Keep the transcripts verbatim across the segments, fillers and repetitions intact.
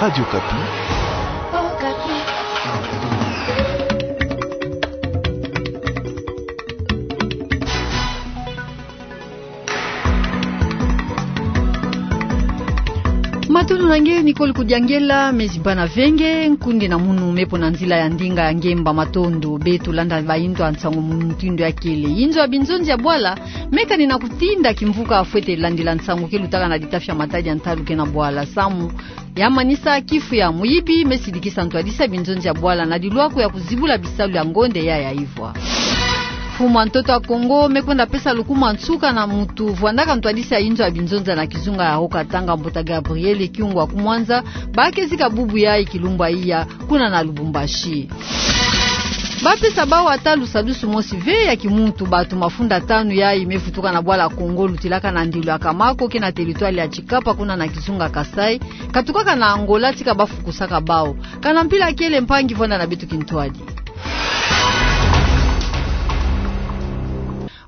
Radio Okapi. Matondo na nge, Nicole Kudiangela. Me zibana venge, nkundi na munu me po na nzila ya ndinga ya ngemba matondo. Beto landa bainzo ya nsangu mu mutindu ya kele. Inzo ya binzonzi ya bwala, me kani na kutinda kimvuka fwete landila nsangu ke lutaka na litafi ya Matadi ya ntalu ke na bwala samu ya manisa kifu ya muyibi me sidikisa ntwadisi ya binzonzi ya bwala na lilwaku ya kuzibula bisalu ya ngonde ya ya ivwa. Mfumu a ntoto ya Kongo me kwenda pesa lukuma nsuka na mutu vwandaka ntwadisi ya inzo ya binzonzi na kizunga ya Haut-Katanga, mbuta Gabriel Kyungu wa Kumwanza, ba ke zika bubu yayi kilumbu ya iya kuna na Lubumbashi. Ba pesa bawu ata lusadusu mosi ve ya kimuntu, batu mafunda tanu yayi me vutuka na bwala Congo lutilaka na ndilo ya Kamako ke na territoire ya Tshikapa kuna na kizunga Kasaï, katukaka na Angola tika ba fukusaka bawu. Kana mpila kele, mpangi, vwanda na beto kintwadi.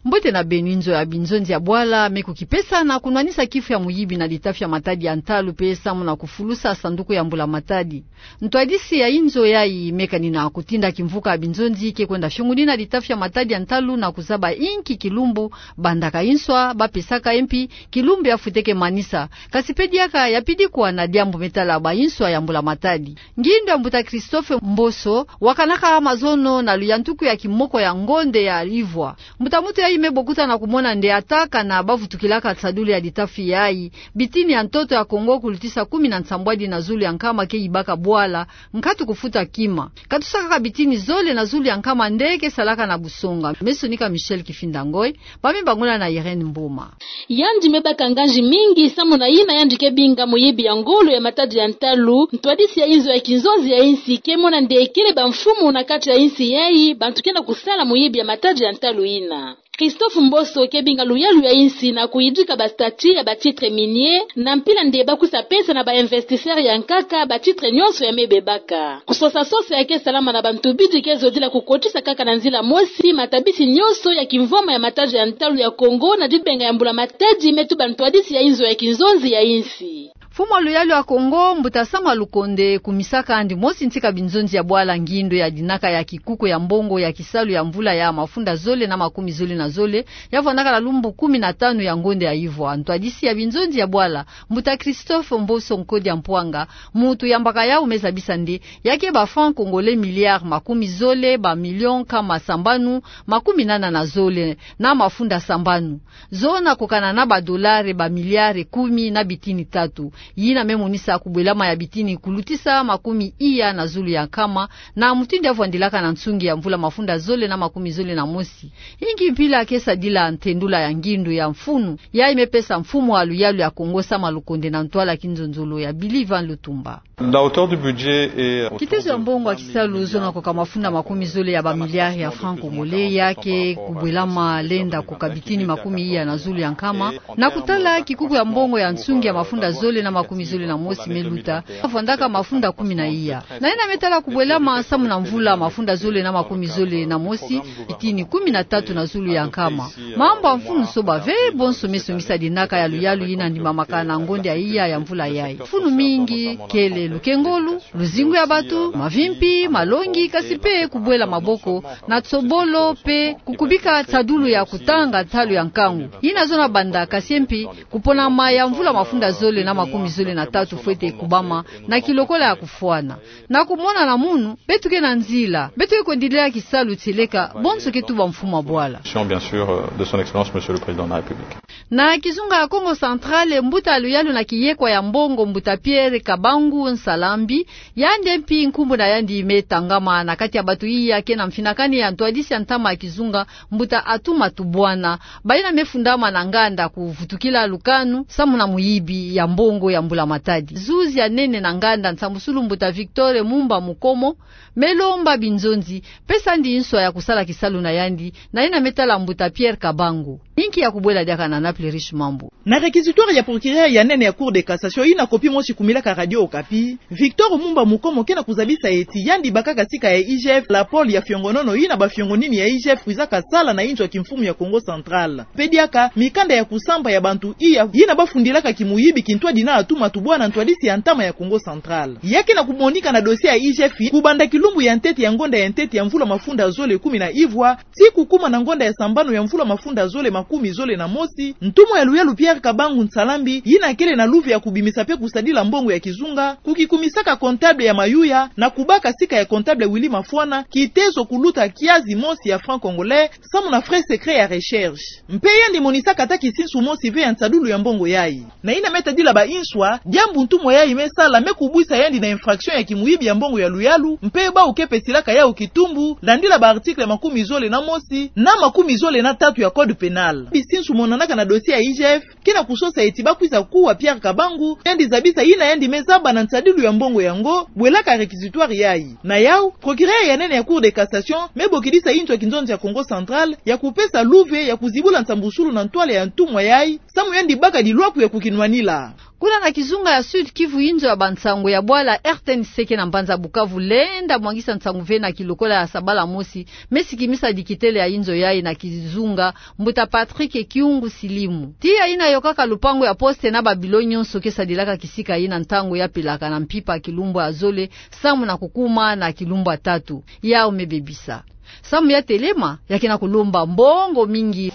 Mbote na beno. Inzo ya binzonzi ya bwala me kukipesa na kunwanisa kifu ya muyibi na litafi ya Matadi ya ntalu pe samu na kufulusa sanduku ya mbula matadi. Ntwadisi ya inzo yayi me kani na kutinda kimvuka ya binzonzi ke kwenda fionguni na litafi ya Matadi ya ntalu na kuzaba inki kilumbu bandaka inswa, ba pesaka ye mpi kilumbu ya futeke manisa. Kasi pe diaka ya pidikwa na diambu me tala ba inswa ya mbula matadi. Ngindu ya mbuta Christophe Mboso wakanaka mazono na luyantuku ya kimoko ya ngonde ya ivwa. Mbuta muntu yayi me bokuta na kumona nde ata kana ba vutukilaka nsadulu ya litafi yayi, bitini ya ntoto ya Kongo kulutisa kumi na nsambwadi na zulu ya nkama ke yibaka bwala, nkatu kufuta kima. Katusaka kaka bitini zole na zulu ya nkama nde ke salaka na busonga. Me sonika Michel Kifinda Ngoy, ba me bangula na Irène Mboma. Yandi me baka nganzi mingi samu na yina yandi ke binga muyibi ya ngolo ya Matadi ya ntalu. Ntwadisi ya inzo ya kinzonzi ya insi ke mona nde kele bamfumu na kati ya insi yayi bantu ke na kusala muyibi ya Matadi ya ntalu yina. Christophe Mboso ke binga luyalu ya insi na kuyidika ba statut ya ba titres miniers, na mpila nde ba kusa pesa na ba investisseurs ya nkaka ba titres nyonso ya me bebaka. Kusosa sosa ya ke salama na bantu bidi ke zodila kukotisa kaka na nzila mosi matabisi nyonso ya kimvwama ya Matadi ya ntalu ya Kongo na dibenga ya mbula matadi, me tuba ntwadisi ya inzo ya kinzonzi ya insi. Mfumu wa luyalu ya Kongo, mbuta Sama Lukonde, kumisaka yandi mosi ntika binzonzi ya bwala ngindu ya dinaka ya kikuku ya mbongo ya kisalu ya mvula ya mafunda zole na makumi zole na zole, ya vwandaka na lumbu kumi na tanu ya ngonde ya ivwa. Ntwadisi ya binzonzi ya bwala, mbuta Christophe Mboso Nkodia Mpwanga, muntu yambaka yawu, me zabisa nde ya ke ba francs congolais milliards makumi zole, ba millions nkama sambanu makumi nana na zole na mafunda sambanu. Zona kokana na ba dollars ba milliards kumi na bitini tatu. Yina me monisa kubwelama ya bitini kulutisa makumi iya na zulu ya nkama, na mutindu ya vwandilaka na nsungi ya mvula mafunda zole na makumi zole na mosi. Inki mpila ke sadila ntendula ya ngindu ya mfunu yayi me pesa mfumu wa luyalu ya Kongo Sama Lukonde na ntwala kinzonzolo ya Billy Van Lutumba. La hauteur du budget est... Kitezo ya mbongo ya kisalu zona koka mafunda makumi zole ya ba milliards ya francs congolais, ya ke kubwelama lenda koka bitini makumi iya na zulu ya nkama. Na kutala kikuku ya mbongo ya nsungi ya mafunda zole na makumi zole na mosi me luta, ya vwandaka mafunda kumi na iya. Na yina me tala kubwelama samu na mvula mafunda zole na makumi zole na mosi, bitini kumi na tatu na zulu ya nkama. Mambu ya mfunu soba ve, bonso me songisa dinaka ya luyalu yina ndimamaka na ngonde ya iya ya mvula yayi. Mfunu mingi kele: lukengolo, luzingu ya bantu, mavimpi, malongi, kasi pe kubwela maboko na tsobolo pe kukubika nsadulu ya kutanga ntalu ya nkangu. Yina zona banda, kasi mpi kuponama ya mvula mafunda zole na makumi zole na tatu fwete kubama na kilokola ya kufwana. Na kumona na munu, beto ke na nzila, beto ke kwendilila kisalu tieleka bonso ke tuba mfumu wa bwala. Bien sûr, euh, de son excellence, Monsieur le Président de la République. Na kizunga ya Kongo Central, mbuta luyalu na kiyekwa ya mbongo, mbuta Pierre Kabangu Nsalambi, yandi mpi nkumbu na yandi me tangama na kati ya bantu iya ke na mfinakani ya ntwadisi ya ntama ya kizunga, mbuta Atuma Tubwana, bayina me fundama na nganda kuvutukila lukanu samu na muyibi ya mbongo ya mbula matadi. Zuzi ya nene na nganda nsambusulu, mbuta Victor Mumba Mukomo, me lomba binzonzi pesa yandi nswa ya kusala kisalu na yandi, na yina me tala mbuta Pierre Kabangu. Inki ya kubwela diaka na Naples Riche Mambu. Na réquisitoire ya procureur ya nene ya Cour de cassation, yina copie mosi kumilaka Radio Okapi. Victor Mumba Mukomo ke na kuzabisa eti yandi bakaka sika ya I G F lapole ya fiongonono yina bafiongonini ya I G F kwizaka sala na inzo ya kimfumu ya Kongo Central. Mpe diaka mikanda ya kusamba ya bantu iya yina bafundilaka kimuyibi kintwadi na atuma tubwana ntwadisi ya ntama ya Kongo Central. Ya ke na kumonika na dossier ya I G F kubanda kilumbu ya ntete ya ngonda ya ntete ya mvula mafunda zole kumi na ivwa, tii kukuma na ngonda ya sambanu ya mvula mafunda zole makumi zole na mosi, ntumwa ya luyalu Pierre Kabangu Nsalambi, yina kele na luve ya kubimisa mpe kusadila mbongo ya kizunga, kukikumisaka comptable ya Mayuya, na kubaka sika ya comptable Willy Mafwana kitezo kuluta kiazi mosi ya francs congolais, samu na frais secret ya recherche. Mpe yandi monisaka ata kisinsu mosi ve ya nsadulu ya mbongo yayi. Na yina me tadila ba inswa, diambu ntumwa yayi me sala me kubwisa yandi na infraction ya kimuyibi ya mbongo ya luyalu, mpe bawu ke pesilaka yawu kitumbu, landila ba article makumi zole na mosi na makumi zole na tatu ya Code pénal. Bisinsu monanaka na dossier ya I G F ke na kusosa eti bakwiza kuwa Pierre Kabangu, yandi zabisa yina yandi me zaba na nsadilu ya mbongo yango, bwelaka réquisitoire yayi. Na yawu, procureur ya nene ya Cour de cassation me bokidisa inzo ya kinzonzi ya Kongo Central ya kupesa luve ya kuzibula nsambusulu na ntwala ya ntumwa yayi, samu yandi baka dilwaku ya kukinwanila. Kuna na kizunga ya Sud-Kivu, inzo ya bansango ya bwala R T N C ke na mbanza Bukavu lenda mwangisa nsangu ve na kilokola ya sabala mosi me sikimisa dikitele ya inzo yayi na kizunga, mbuta Patrick Kiungu Silimu. Tiya yina yokaka lupangu ya poste na ba bilo nyonso ke sadilaka kisika yina ntangu ya pelaka na mpimpa kilumbu ya zole, samu na kukuma na kilumbu ya tatu, yawu me bebisa. Samu ya telema, ya ke na kulomba mbongo mingi.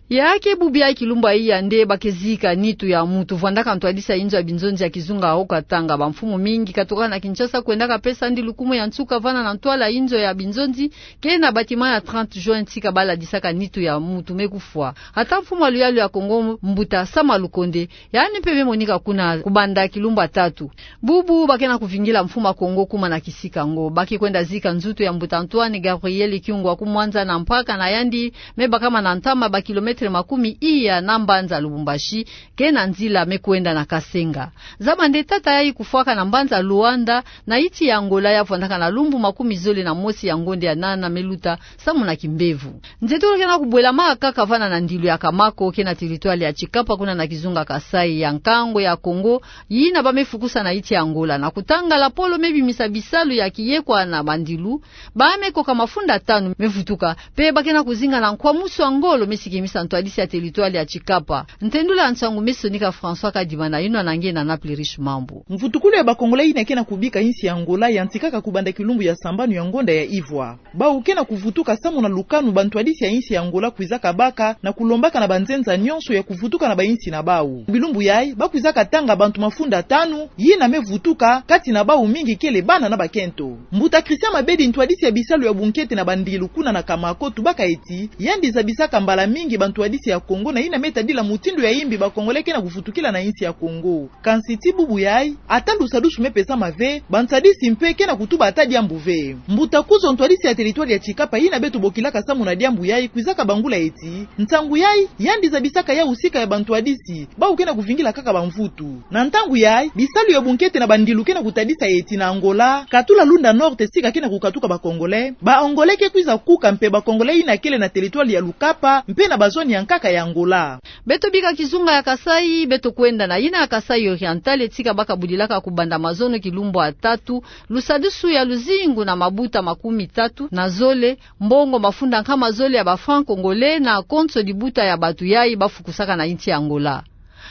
Ya ke bubu ya kilumbu ya iya nde ba ke zika nitu ya mutu vwandaka ntwadisi ya inzo ya binzonzi ya kizunga Haut-Katanga. Bamfumu mingi katokaka na Kinshasa kwendaka pesa ndilu kumu ya nsuka vana na ntwala inzo ya binzonzi ke na bâtiment ya trente juin, tika ba ladisaka nitu ya mutu me kufwa. Ata mfumu ya luyalu ya Kongo, mbuta Sama Lukonde, yandi mpe me monika kuna kubanda kilumbu ya tatu. Bubu ba ke na kuvingila mfumu ya Kongo kuma na kisika yango. Ba ke kwenda zika nzutu ya mbuta Antoine Gabriel Kiungu wa Kumwanza na mpaka na yandi me bakama na ntama ba kilomètre makumi iya na mbanza Lubumbashi, ke na nzila me kwenda na Kasenga. Zaba nde tata yayi kufwaka na mbanza Luanda, na insi ya Angola, ya vwandaka na lumbu makumi zole na mosi ya ngonde ya nana me luta, samu na kimbevo. Nzietolo ke na kubwelama kaka vana na ndilu ya Kamako, ke na territoire ya Tshikapa, kuna na kizunga Kasaï ya nkangu ya Kongo, yina ba me fukusa na insi ya Angola. Na kutanga lapolo me bimisa bisalu ya kiyekwa na bandilu, ba me koka mafunda tanu me vutuka, mpe ba ke na kuzinga na nkwamusu ya ngolo me sikimisa ntwadisi ya territoire ya Tshikapa. Ntendula ya nsangu me sonika François Kadima na yinwa na nge na Naples Riche Mambu. Mvutukulu ya ba Congolais yina ke na kubika insi ya Angola yantikaka kubanda kilumbu ya sambanu ya ngonda ya ivwa. Bawu ke na kuvutuka samu na lukanu bantwadisi ya insi ya Angola kwizaka baka na kulombaka na banzenza nyonso ya kuvutuka na bainsi na bawu. Bilumbu yayi, ba kwizaka tanga bantu mafunda tanu yina me vutuka, kati na bawu mingi kele bana na bakento. Mbuta Christian Mabedi, ntwadisi ya bisalu ya bunkete na bandilu kuna na Kamako, tubaka eti yandi zabisaka mbala mingi bantwadisi ya Kongo na yina me tadila mutindu ya imbi ba Congolais ke na kuvutukila na insi ya Kongo. Kansi ti bubu yayi, ata lusadusu me pesama ve, bantwadisi mpe ke na kutuba ata diambu ve. Mbuta Kuzo, ntwadisi ya territoire ya Tshikapa yina beto bokilaka samu na diambu yayi, kwizaka bangula eti nsangu yayi, yandi zabisaka yawu sika ya bantwadisi bawu ke na kuvingila kaka bamvutu. Na ntangu yayi, bisalu ya bunkete na bandilu ke na kutadisa eti na Angola, katula Lunda Norte sika ke na kukatuka ba Congolais, ba Angolais ke kwiza kuka mpe ba Congolais yina kele na territoire ya Lukapa mpe na bazone ya nkaka ya Angola. Beto bika kizunga ya Kasaï, beto kwenda na yina ya Kasaï Oriental, tika ba ka budilaka kubanda mazono kilumbu ya tatu, lusadusu ya luzingu na mabuta makumi tatu na zole, mbongo mafunda nkama zole ya ba francs congolais na konso dibuta ya batu yayi ba fukusaka na insi ya Angola.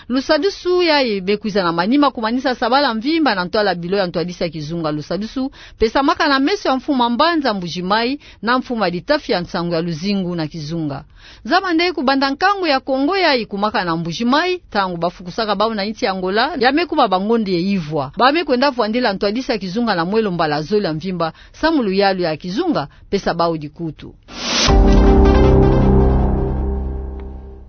Lusadusu yayi me kwiza na manima kumanisa sabala mvimba na ntwala bilo ya ntwadisi ya kizunga. Lusadusu pesamaka na meso ya mfumu ya mbanza Mbuji-Mayi na mfumu ya litafi ya nsangu ya luzingu na kizunga. Zaba nde kubanda nkangu ya Kongo yayi kumaka na Mbuji-Mayi, ntangu ba fukusaka bawu na insi ya Angola, ya me kuma bangonde ya ivwa. Ba me kwenda vwandila ntwadisi ya kizunga na mwelo mbala zole ya mvimba, samu luyalu ya kizunga pesa bawu dikutu.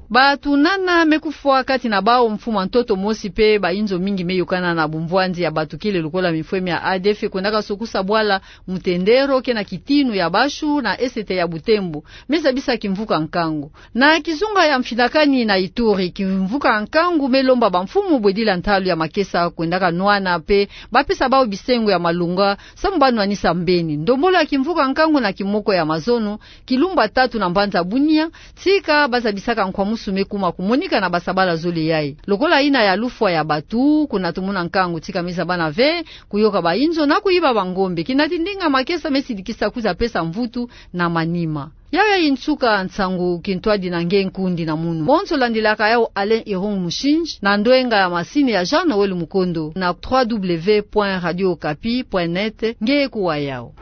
Batu nana me kufwa, kati na bawu mfumu ya ntoto mosi mpe ba inzo mingi me yokana na bumvwanzi ya batu kele lokola mifwemi ya A D F kwendaka sokusa bwala Mutendero ke na kitinu ya Bashu na Est ya Butembo, me zabisa kimvuka nkangu. Na kizunga ya Mfinakani na Ituri, kimvuka nkangu me lomba bamfumu bwedila ntalu ya makesa kwendaka nwana mpe ba pesa bawu bisengo ya malonga, samu ba nwanisa mbeni. Ndombolo ya kimvuka nkangu na kimoko ya mazono, kilumbu ya tatu na mbanza Bunia, tika ba zabisaka nkwamu mosusu me kuma kumonika na basabala zole yayi. Lokola yina ya lufwa ya batu, kuna tumona nkangu tika me zabana ve, kuyoka bainzo na kuyiba bangombe. Kina ti ndinga makesa me sidikisa kwiza pesa mvutu na manima. Yayi nsuka nsangu kintwadi na nge nkundi na munu. Bonso landilaka yawu Alain Irung Mushinji, na ndwenga ya masini ya Jean Noël Mukondo, na trois W point radio okapi point net, nge kuwa yawu.